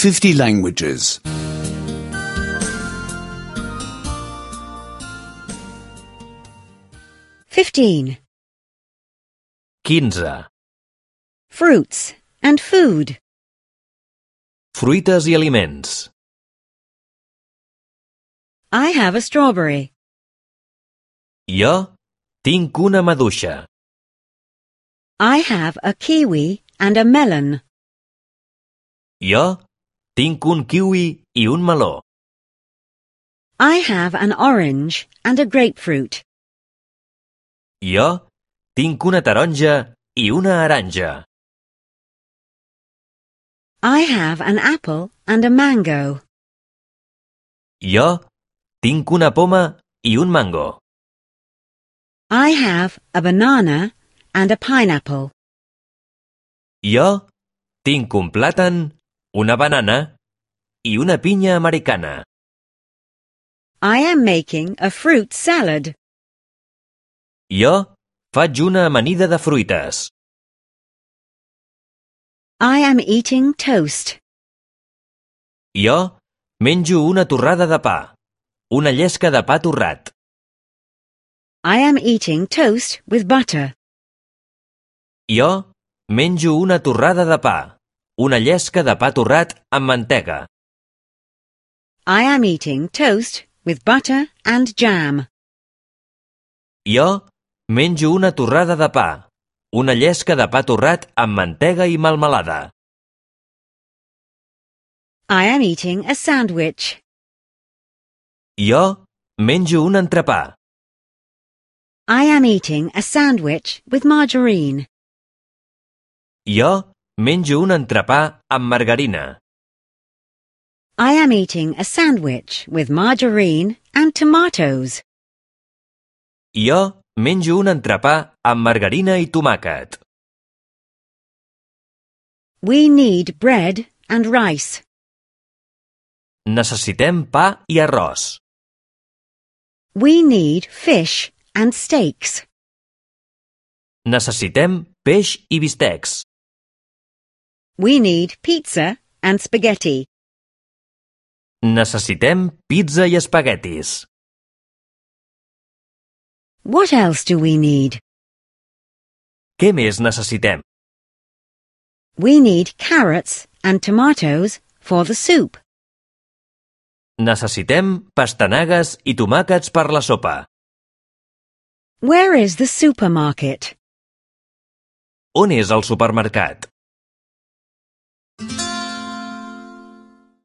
50 languages. 15. 15. Fruits and food. Fruites i aliments. I have a strawberry. Jo tinc una maduixa. I have a kiwi and a melon. Jo tinc un kiwi i un meló. I have an orange and a grapefruit. Jo tinc una taronja i una aranja. I have an apple and a mango. Jo tinc una poma i un mango. I have a banana and a pineapple. Jo tinc un plàtan, una banana i una pinya americana. I am making a fruit salad. Jo faig una amanida de fruites. I am eating toast. Jo menjo una torrada de pa, una llesca de pa torrat. I am eating toast with butter. Jo menjo una torrada de pa, una llesca de pa torrat amb mantega. I am eating toast with butter and jam. Jo menjo una torrada de pa, una llesca de pa torrat amb mantega i melmelada. I am eating a sandwich. Jo menjo un entrepà. I am eating a sandwich with margarine. Jo menjo un entrepà amb margarina. I am eating a sandwich with margarine and tomatoes. Jo menjo un entrepà amb margarina i tomàquet. We need bread and rice. Necessitem pa i arròs. We need fish and steaks. Necessitem peix i bistecs. We need pizza and spaghetti. Necessitem pizza i espaguetis. What else do we need? Què més necessitem? We need carrots and tomatoes for the soup. Necessitem pastanagues i tomàquets per la sopa. Where is the supermarket? On és el supermercat?